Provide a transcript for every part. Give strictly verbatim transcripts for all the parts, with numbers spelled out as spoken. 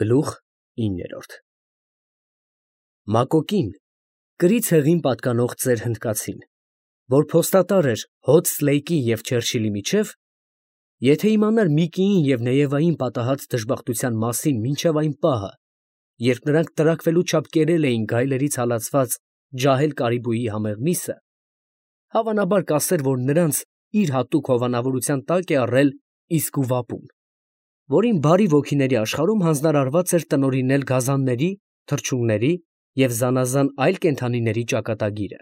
Գլուխ իններորդ Մակոկին, կրի ցեղին պատկանող ծեր հնդկացին, որ փոստատար էր հոծ Սլեյկի և Չերչիլի միջև, եթե իմանար Միկիին և Նեևային պատահած դժբախտության մասին մինչև այն պահը, երբ նրանք տրաքվելու չափ կերել էին գայլերից հալածված ջահել կարիբուի համեղ միսը, հավանաբար կասեր, որ նրանց իր հատուկ հովանավորության տակ է առել Իսկուվապուն, որին բարի ոգիների աշխարհում հանձնարարված էր տնօրինել գազանների, թռչունների և զանազան այլ կենդանիների ճակատագիրը։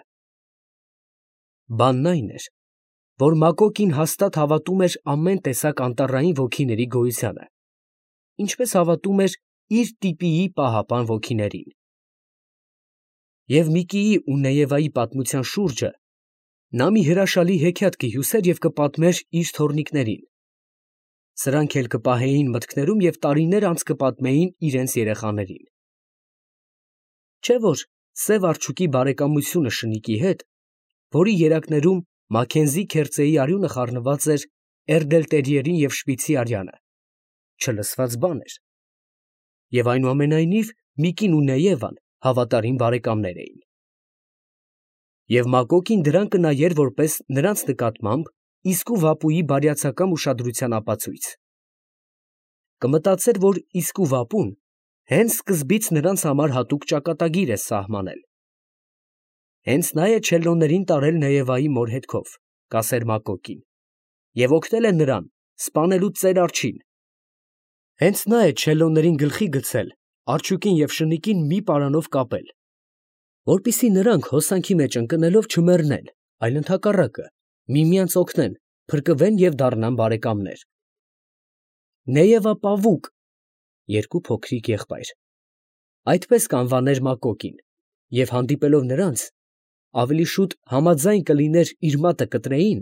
Բանն այն էր, որ Մակոկին հաստատ հավատում էր ամեն տեսակ անտառային ոգիների գոյությանը, ինչպես հավատում էր իր տիպիի պահապան ոգիներին։ Եվ Միկիի ու Նեևայի պատմության շուրջը նա մի հրաշալի հեքիաթ կհյուսեր և կպատմեր իր թոռնիկներին, սրանք էլ կպահեին մտքներում և տարիներ անց կպատմեին իրենց երեխաներին։ Չէ՞ որ սև արջուկի բարեկամությունը շնիկի հետ, որի երակներում Մաքքենզի քերծեի արյունը խառնված էր Էրդելտերիերի և Շպիցի արյանը, չլսված բան էր, և այնուամենայնիվ Միկին ու Նեևան հավատարիմ բարեկամներ էին։ Եվ Մակոկին դրան կնայեր որպես նրանց նկատմամբ Իսկուվապուի բարյացակամ ուշադրության ապացույց։ Կմտածեր, որ Իսկուվապուն հենց սկզբից նրանց համար հատուկ ճակատագիր է սահմանել։ Հենց նա է չելլոներին տարել Նեևայի մոր հետքով, կասեր Մակոկին, և օգնել է նրան սպանելու ծեր արջին։ Հենց նա է չելլոներին գլխի գցել արջուկին և շնիկին մի պարանով կապել, որպեսզի նրանք հոսանքի մեջ ընկնելով չմեռնեն, այլ ընդհակառակը, միմյանց օգնեն, փրկվեն և դառնան բարեկամներ։ Նեևապավուկ (երկու փոքրիկ եղբայր) այդպես կանվաներ Մակոկին, և հանդիպելով նրանց, ավելի շուտ համաձայն կլիներ իր մատը կտրեին,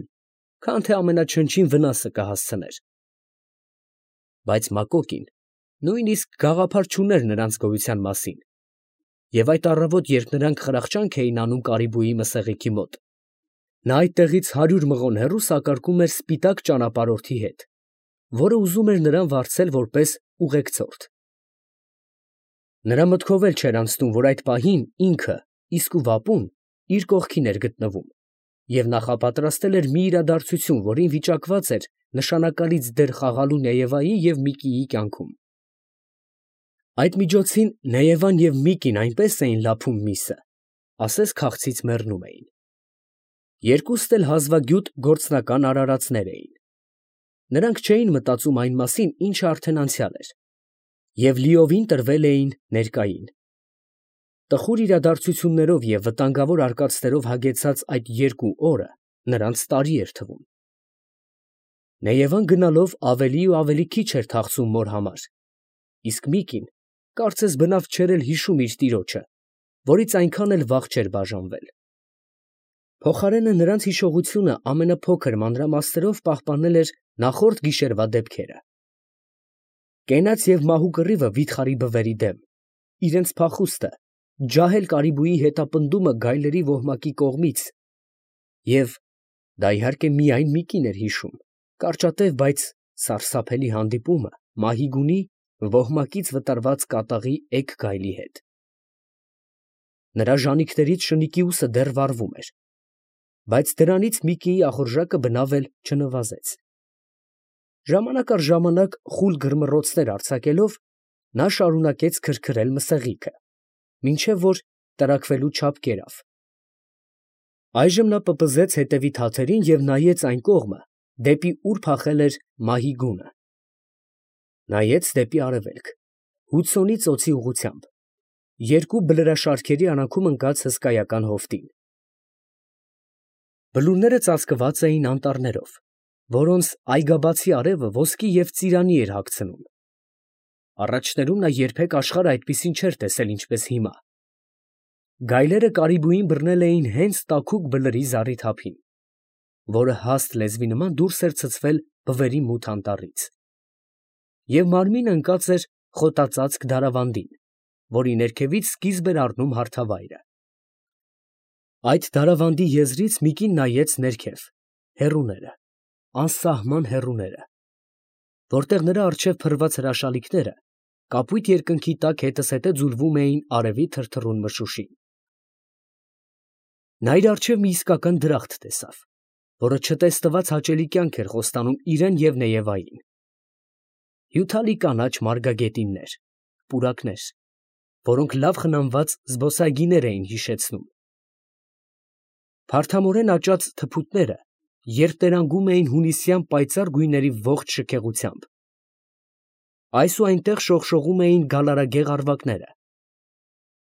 քան թե ամենաչնչին վնասը կհասցներ։ Բայց Մակոկին նույնիսկ գաղափար չուներ նրանց գոյության մասին, և այդ առավոտ, երբ նրանք խրախճանք էին անում կարիբուի մսեղիքի մոտ, նա այդտեղից հարյուր մղոն հեռու սակարկում էր սպիտակ ճանապարհորդի հետ, որը ուզում էր նրան վարձել որպես ուղեկցորդ։ Նրա մտքով էլ չէր անցնում, որ այդ պահին ինքը Իսկուվապուն իր կողքին էր գտնվում և նախապատրաստել էր մի իրադարձություն, որին վիճակված էր նշանակալից դեր խաղալու Նեևայի և Միկիի կյանքում։ Այդ միջոցին Նեևան և Միկին այնպես էին լափում միսը, ասես քաղցից մեռնում էին։ Երկուստ էլ հազվագյուտ գործնական արարածներ էին։ Նրանք չէին մտածում այն մասին, ինչը արդեն անցյալ էր, և լիովին տրվել էին ներկային։ Տխուր իրադարձություններով և վտանգավոր արկածներով հագեցած այդ երկու օրը նրանց տարի էր թվում։ Նեևան գնալով ավելի ու ավելի քիչ էր թախծում մոր համար, իսկ Միկին կարծես բնավ չէր էլ հիշում իր տիրոջը, որից այնքան էլ վաղ չէր բաժանվել։ Փոխարենը նրանց հիշողությունը ամենափոքր մանրամասներով պահպանել էր նախորդ գիշերվա դեպքերը։ Կենաց և մահու կռիվը վիթխարի բվերի դեմ, իրենց փախուստը, ջահել կարիբուի հետապնդումը գայլերի ոհմակի կողմից և (դա իհարկե միայն Միկին էր հիշում) կարճատև, բայց սարսափելի հանդիպումը Մահիգունի ոհմակից վտարված կատաղի էգ գայլի հետ։ Նրա ժանիքներից շնիկի ուսը դեռ վառվում էր, բայց դրանից Միկիի ախորժակը բնավ էլ չնվազեց։ Ժամանակ առ ժամանակ խուլ գրմռոցներ արձակելով, նա շարունակեց քրքրել մսեղիքը, մինչև որ տրաքվելու չափ կերավ։ Այժմ նա պպզեց հետևի թաթերին և նայեց այն կողմը, դեպի ուր փախել էր Մահիգունը։ Նայեց դեպի արևելք, Հուդսոնի ծոցի ուղղությամբ, երկու բլրաշարքերի արանքում ընկած հսկայական հովտին։ Բլուրները ծածկված էին անտառներով, որոնց այգաբացի արևը ոսկի և ծիրանի էր հագցնում։ Առաջներում նա երբեք աշխարհը այդպիսին չէր տեսել, ինչպես հիմա։ Գայլերը կարիբուին բռնել էին հենց տաքուկ բլրի զառիթափին, որը հաստ լեզվի նման դուրս էր ցցվել բվերի մութ անտառից, և մարմինը ընկած էր խոտածածկ դարավանդին, որի ներքևից սկիզբ էր առնում հարթավայրը։ Այդ դարավանդի եզրից Միկին նայեց ներքև, հեռուները, անսահման հեռուները, որտեղ նրա առջև փռված հրաշալիքները կապույտ երկնքի տակ հետզհետե ձուլվում էին արևի թրթռուն մշուշին։ Նա իր առջև մի իսկական դրախտ տեսավ, որը չտեսնված հաճելի կյանք էր խոստանում իրան և Նեևային. հյութալի կանաչ մարգագետիններ, պուրակներ, որոնք լավ խնամված զբոսայգիներ էին հիշեցնում։ Փարթամորեն աճած թփուտները երտերանգում էին հունիսյան պայծառ գույների ողջ շքեղությամբ։ Այս ու այնտեղ շողշողում էին գալարագեղ առվակները,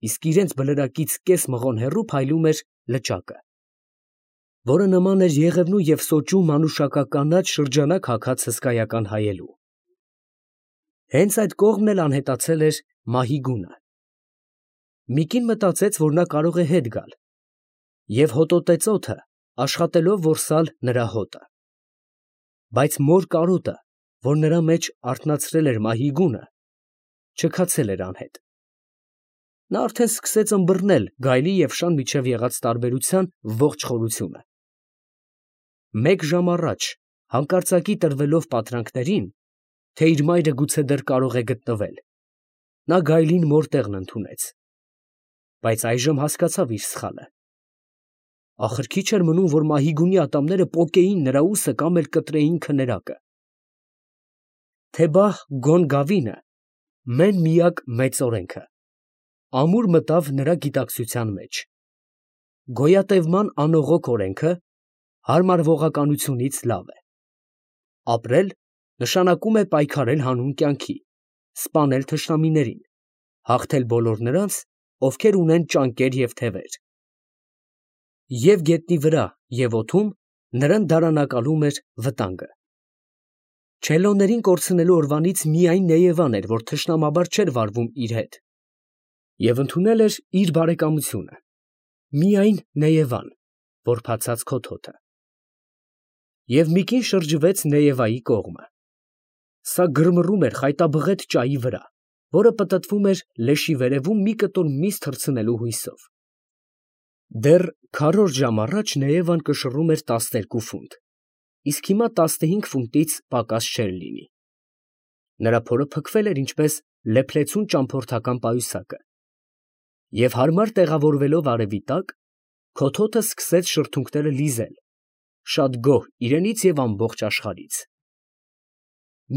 իսկ իրենց բլրակից կես մղոն հեռու փայլում էր լճակը, որը նման էր Եղևնու և Սոճու մանուշակականաչ շրջանակ հագած հսկայական հայելու։ Հենց այդ կողմն էլ անհետացել էր մահի գունը։ Միկին մտածեց, որ նա կարող է հետ գալ, և հոտոտեց օդը, աշխատելով որսալ նրա հոտը։ Բայց մոր կարոտը, որ նրա մեջ արթնացրել էր մահի գունը, չքացել էր անհետ։ Նա արդեն սկսեց ըմբռնել գայլի և շան միջև եղած տարբերության ողջ խորությունը։ Մեկ ժամ առաջ, հանկարծակի տրվելով պատրանքներին, թե իր մայրը գուցե դեռ կարող է գտնվել, նա գայլին մոր տեղն ընդունեց, բայց այժմ հասկացավ իր սխալը։ Ախր քիչ էր մնում, որ մահի գունի ատամները պոկեին նրա ուսը կամ էլ կտրեին քներակը։ Թե բա գոն գավինը, մեն միակ մեծ օրենքը, ամուր մտավ նրա գիտակցության մեջ։ Գոյատևման անողոք օրենքը հարմարվողականությունից լավ է։ Ապրել նշանակում է պայքարել հանուն կյանքի, սպանել թշնամիներին, հաղթել բոլոր նրանց, ովքեր ունեն ճանկեր և թևեր։ Եվ գետնի վրա, և օդում նրան դարանակալում էր վտանգը։ Չելլոներին կորցնելու օրվանից միայն Նեևան էր, որ թշնամաբար չէր վարվում իր հետ, և ընդունել էր իր բարեկամությունը, միայն Նեևան, որ բացած քոթոթը։ Եվ Միկին շրջվեց Նեևայի կողմը։ Սա գրմռում էր խայտաբղետ ճայի վրա, որը պտտվում էր լեշի վերևում մի կտոր միս թռցնելու հույսով։ Դեռ քառորդ ժամ առաջ Նեևան կշռում էր տասներկու ֆունտ, իսկ հիմա տասնհինգ ֆունտից պակաս չէր լինի։ Նրա փորը փքվել էր ինչպես լեփլեցուն ճամփորդական պայուսակը, և հարմար տեղավորվելով արևի տակ, քոթոթը սկսեց շրթունքները լիզել, շատ գոհ իրենից և ամբողջ աշխարհից։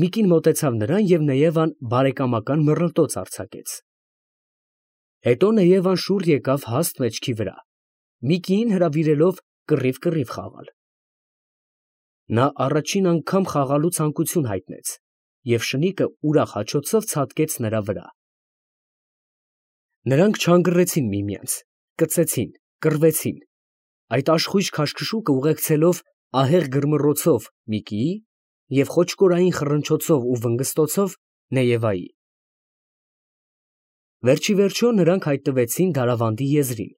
Միկին մոտեցավ նրան, և Նեևան բարեկամական մռլտոց արձակեց։ Հետո Նեևան շուռ եկավ հաստ մեջքի վրա, Միկիին հրավիրելով կռիվ֊կռիվ խաղալ։ Նա առաջին անգամ խաղալու ցանկություն հայտնեց, և շնիկը ուրախ հաչոցով ցատկեց նրա վրա։ Նրանք չանգռեցին միմյանց, կծեցին, կռվեցին, այդ աշխույժ քաշքշուկը ուղեկցելով ահեղ գրմռոցով Միկիի և խոչկորային խռնչոցով ու վնգստոցով Նեևայի։ Վերջիվերջո նրանք հայտնվեցին Դարավանդի եզրին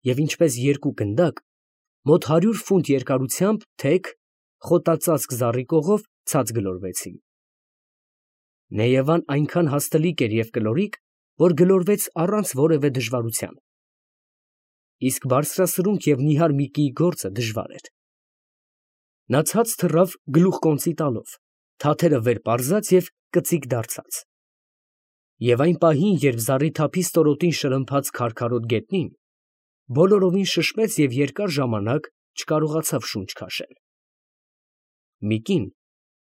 և ինչպես երկու գնդակ, մոտ հարյուր ֆունտ երկարությամբ թեք, խոտածածկ զառիկողով ցած գլորվեցին։ Նեևան այնքան հաստլիկ էր և կլորիկ, որ գլորվեց առանց որևէ դժվարության, իսկ բարձրասրունք և նիհար Միկիի գործը դժվար էր։ Նա ցած թռավ գլուխկոնծի տալով, թաթերը վեր պարզած և կծիկ դարձած։ Եվ այն պահին, երբ զառիթափի ստորոտին շրմփաց քարքարոտ գետնին, բոլորովին շշմեց և երկար ժամանակ չկարողացավ շունչ քաշել։ Միկին,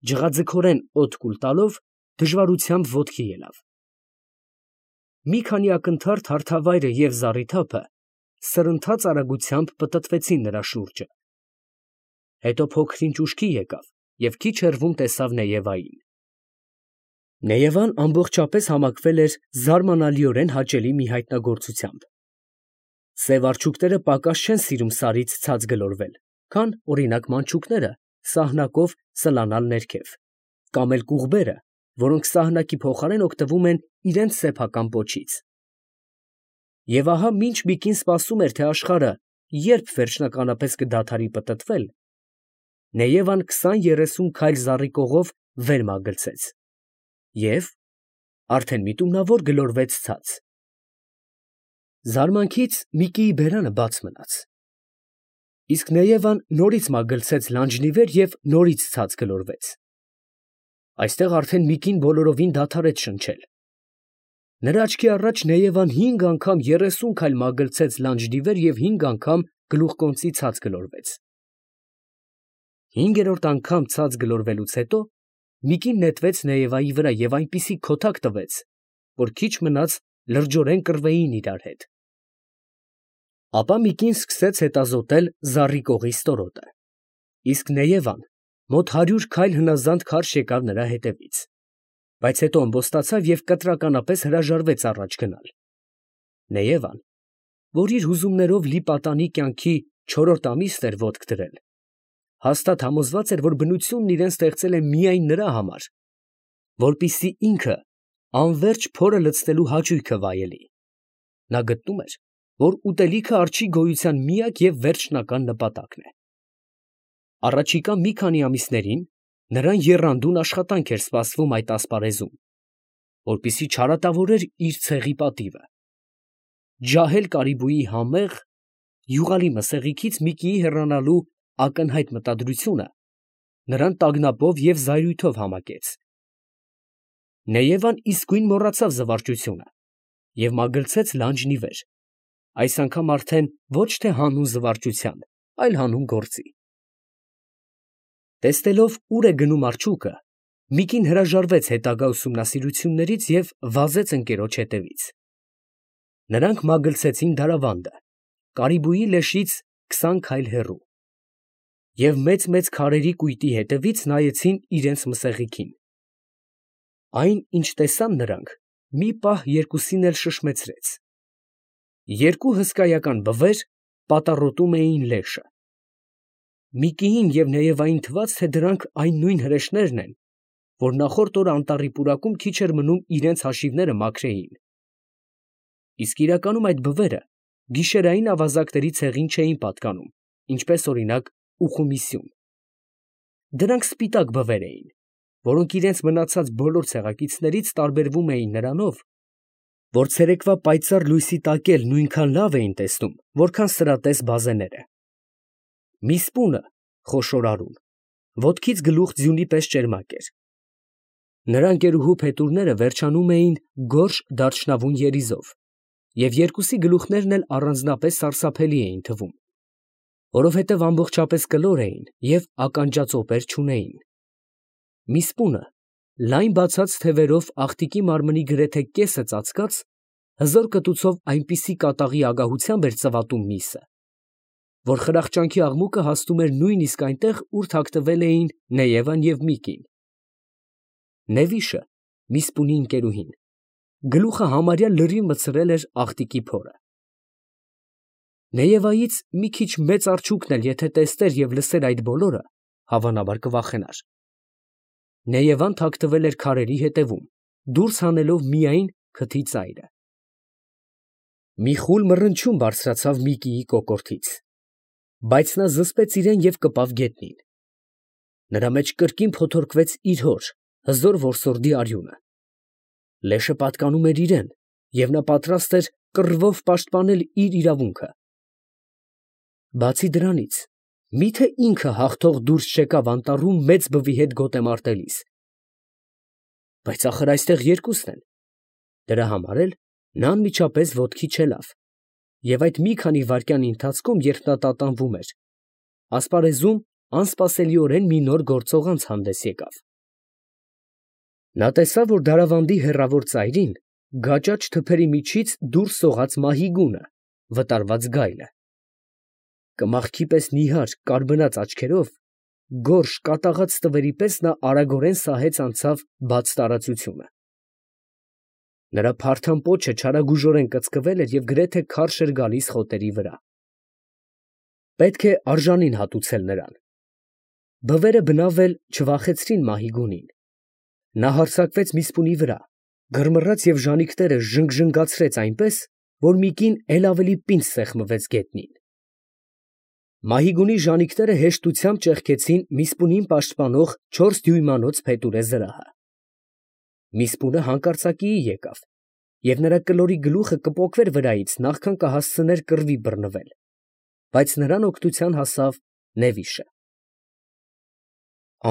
ջղաձգորեն օդ կուլ տալով, դժվարությամբ ոտքի ելավ։ Մի քանի ակնթարթ հարթավայրը և զառիթափը սրընթաց արագությամբ պտտվեցին նրա շուրջը։ Հետո փոքր-ինչ ուշքի եկավ և քիչ հեռվում տեսավ Նեևային։ Նեևան ամբողջապես համակվել էր զարմանալիորեն հաճելի մի հայտնագործությամբ։ Սև արջուկները պակաս չեն սիրում սարից ցած գլորվել, քան, օրինակ, մանչուկները սահնակով սլանալ ներքև, կամ էլ կուղբերը, որոնք սահնակի փոխարեն օգտվում են իրենց սեփական պոչից։ Եվ ահա մինչ Միկին սպասում էր, թե աշխարհը երբ վերջնականապես կդադարի պտտվել, Նեևան քսան֊երեսուն քայլ զառիկողով վեր մագլցեց և արդեն միտումնավոր գլորվեց ցած։ Զարմանքից Միկիի բերանը բաց մնաց, իսկ Նեևան նորից մագլցեց լանջնի վեր և նորից ցած գլորվեց։ Այստեղ արդեն Միկին բոլորովին դադարեց շնչել, Նրա աչքի առաջ Նեևան հինգ անգամ երեսուն քայլ մագլցեց լանջդի վեր և հինգ անգամ գլուխկոնծի ցած գլորվեց։ Հինգերորդ անգամ ցած գլորվելուց հետո մի կին նետվեց Նեևայի վրա և այնպիսի քոթակ տվեց, որ քիչ մնաց լրջորեն կռվեին իրար հետ։ Ապա մի կին սկսեց հետազոտել զառիկողի ստորոտը, իսկ Նեևան մոտ հարյուր քայլ հնազանդ քարշ եկավ նրա հետևից, բայց հետո ըմբոստացավ և կտրականապես հրաժարվեց առաջ գնալ։ Նեևան, որ իր հուզումներով լի պատանի կյանքի չորրորդ ամիսն էր ոտք դրել, հաստատ համոզված էր, որ բնությունն իրեն ստեղծել է միայն նրա համար, որպեսզի ինքը անվերջ փորը լցնելու հաճույքը վայելի։ Նա գտնում էր, որ ուտելիքը արջի գոյության միակ և վերջնական նպատակն է։ Առաջիկա մի քանի ամիսներին նրան եռանդուն աշխատանք էր սպասվում այդ ասպարեզում, որպեսզի չարատավորեր իր ցեղի պատիվը։ Ջահել կարիբուի համեղ, յուղալի մսեղիքից մի կիի հեռանալու ակնհայտ մտադրությունը նրան տագնապով և զայրույթով համակեց։ Նեևան իսկույն մոռացավ զվարճությունը և մագլցեց լանջն ի վեր, այս անգամ արդեն ոչ թե հանուն զվարճության, այլ հանուն գործի։ Տեսնելով ուր է գնում արջուկը, մի կին հրաժարվեց հետագա ուսումնասիրություններից և վազեց ընկերոջ հետևից։ Նրանք մագլցեցին դարավանդը, կարիբուի լեշից քսան քայլ հեռու, և մեծ֊մեծ քարերի կույտի հետևից նայեցին իրենց մսեղիքին։ Այն, ինչ տեսան նրանք, մի պահ երկուսին էլ շշմեցրեց. երկու հսկայական բվեր պատառոտում էին լեշը։ Միկիին և Նեևային թվաց, թե դրանք այն նույն հրեշներն են, որ նախորդ օրը անտառի պուրակում քիչ էր մնում իրանց հաշիվները մաքրեին։ Իսկ իրականում այդ բվերը գիշերային ավազակների ցեղին չէին պատկանում, ինչպես օրինակ ուխումի սյուն։ Դրանք սպիտակ բվեր էին, որոնք իրենց մնացած բոլոր ցեղակիցներից տարբերվում էին նրանով, որ ցերեկվա պայծառ լույսի տակ էլ նույնքան լավ էին տեսնում, որքան սրատես բազեները։ Մի սպունը (խոշոր արուն) ոտքից գլուխ ձյունի պես ճերմակ էր։ Նրա ընկերուհու փետուրները վերջանում էին գորշ դարչնավուն երիզով, և երկուսի գլուխներն էլ առանձնապես սարսափելի էին թվում, որովհետև ամբողջապես կլոր էին և ականջածոպեր չունեին։ Մի սպունը լայն բացած թևերով աղտիկի մարմնի գրեթե կեսը ծածկած, հզոր կտուցով այնպիսի կատաղի ագահությամբ էր ծվատում միսը, որ խրախճանքի աղմուկը հասնում էր նույնիսկ այնտեղ, ուր թաքնվել էին Նեևան և Միկին։ Նևիշը, մի սպունի ընկերուհին, գլուխը համարյա լրիվ մտցրել էր աղտիկի փորը։ Նեևայից մի քիչ մեծ արջուկն էլ եթե տեսներ և լսեր այդ բոլորը, հավանաբար կվախենար։ Նեևան թաքնվել էր քարերի ետևում, դուրս հանելով միայն քթի ծայրը։ Մի խուլ մռնչյուն բարձրացավ Միկիի կոկորդից, բայց նա զսպեց իրեն և կպավ գետնին։ Նրա մեջ կրկին փոթորկվեց իր հոր, հզոր որսորդի արյունը։ Լեշը պատկանում էր իրան, և նա պատրաստ էր կռվով պաշտպանել իր իրավունքը։ Բացի դրանից, մի՞թե ինքը հաղթող դուրս չեկավ անտառում մեծ բվի հետ գոտեմարտելիս։ Բայց ախր այստեղ երկուսն են։ Դրա համար էլ նա անմիջապես ոտքի չելավ, և այդ մի քանի վայրկյանի ընթացքում, երբ նա տատանվում էր, ասպարեզում անսպասելիորեն մի նոր գործող անց հանդես եկավ։ Նա տեսավ, որ դարավանդի հեռավոր ծայրին գաճաճ թփերի միջից դուրս սողաց մահիգունը, վտարված գայլը։ Կմախքի պես նիհար, կարբնած աչքերով, գորշ, կատաղած թվերի պես նա արագորեն սահեց անցավ բաց տարածությունը։ Նրա փարթամ պոչը չարագուժորեն կծկվել էր և գրեթե քարշ էր գալիս խոտերի վրա։ Պետք է արժանին հատուցել նրան։ Բվերը բնավ էլ չվախեցրին մահիգունին։ Նա հարձակվեց մի սպունի վրա, գրմռաց և ժանիքները ժնգժնգացրեց այնպես, որ Միկին էլ ավելի պինդ սեղմվեց գետնին։ Մահիգունի ժանիքները հեշտությամբ ճեղքեցին մի սպունին պաշտպանող չորս դյույմանոց փետուրե զրահը։ Միսպունը հանկարծակիի եկավ, և նրա կլորի գլուխը կպոկվեր վրայից, նախքան կհասցներ կռվի բռնվել, բայց նրան օգնության հասավ Նևիշը։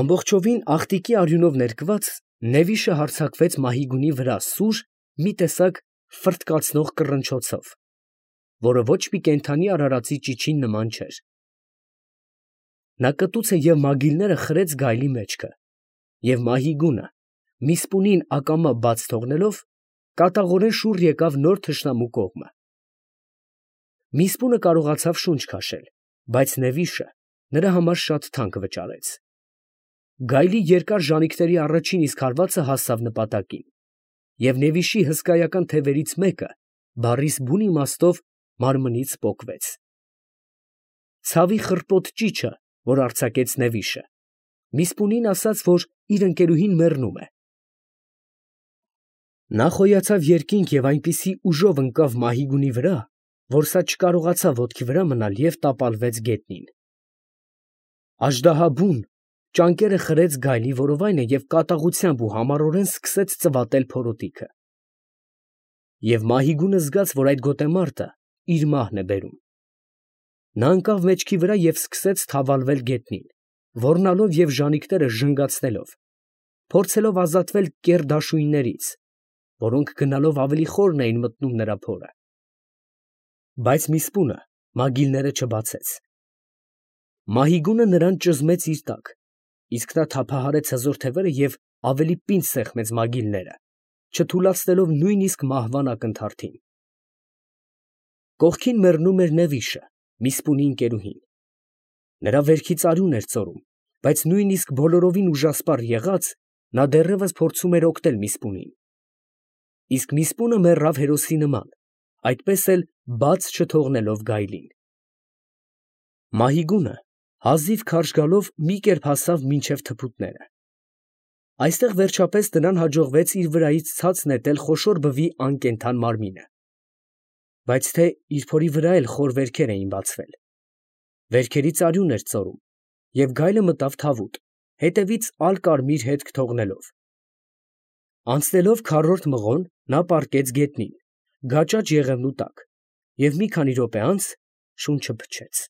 Ամբողջովին աղտիկի արյունով ներկված, Նևիշը հարձակվեց մահիգունի վրա սուր, մի տեսակ ֆրտկացնող կռնչոցով, որը ոչ մի կենդանի արարածի ճիչին նման չէր։ Նա կտուցը և մագիլները խրեց գայլի մեջքը, և Մահիգունը, Միսպունին ակամա բաց թողնելով, կատաղորեն շուռ եկավ նոր թշնամու կողմը։ Միսպունը կարողացավ շունչ քաշել, բայց Նևիշը նրա համար շատ թանկ վճարեց։ Գայլի երկար ժանիքների առաջին իսկ հարվածը հասավ նպատակին, և Նևիշի հսկայական թևերից մեկը բառիս բուն իմաստով մարմնից պոկվեց։ Ցավի խռպոտ ճիչը, որ արձակեց Նևիշը, Միսպունին ասաց, որ իր ընկերուհին մեռնում է։ Նա խոյացավ երկինք և այնպիսի ուժով ընկավ Մահիգունի վրա, որ սա չկարողացավ ոտքի վրա մնալ և տապալվեց գետնին։ Աժդահա֊բուն ճանկերը խրեց գայլի որովայնը և կատաղությամբ ու համառորեն սկսեց ծվատել փորոտիքը։ Եվ Մահիգունը զգաց, որ այդ գոտեմարտը իր մահն է բերում։ Նա ընկավ մեջքի վրա և սկսեց թավալվել գետնին, ոռնալով և ժանիքները ժնգացնելով, փորձելով ազատվել կեռ դաշույններից, որոնք գնալով ավելի խորն էին մտնում նրա փորը։ Բայց Միսպունը մագիլները չբացեց։ Մահիգունը նրան ճզմեց իր տակ, իսկ նա թափահարեց հզոր թևերը և ավելի պինդ սեղմեց մագիլները, չթուլացնելով նույնիսկ մահվան ակնթարթին։ Կողքին մեռնում էր Նևիշը, Միսպունի ընկերուհին։ Նրա վերքից արյուն էր ծորում, բայց նույնիսկ բոլորովին ուժասպառ եղած, նա դեռևս փորձում էր օգնել Միսպունին։ Իսկ Միսպունը մեռավ հերոսի նման, այդպես էլ բաց չթողնելով գայլին։ Մահիգունը հազիվ քարշ գալով մի կերպ հասավ մինչև թփուտները։ Այստեղ վերջապես նրան հաջողվեց իր վրայից ցած նետել խոշոր բվի անկենդան մարմինը։ Բայց թե իր փորի վրա էլ խոր վերքեր էին բացվել։ Վերքերից արյուն էր ծորում, և գայլը մտավ թավուտ, հետևից ալ֊կարմիր հետք թողնելով։ Անցնելով քառորդ մղոն, նա պառկեց գետնին, գաճաճ եղևնու տակ, և մի քանի րոպե անց շունչը փչեց։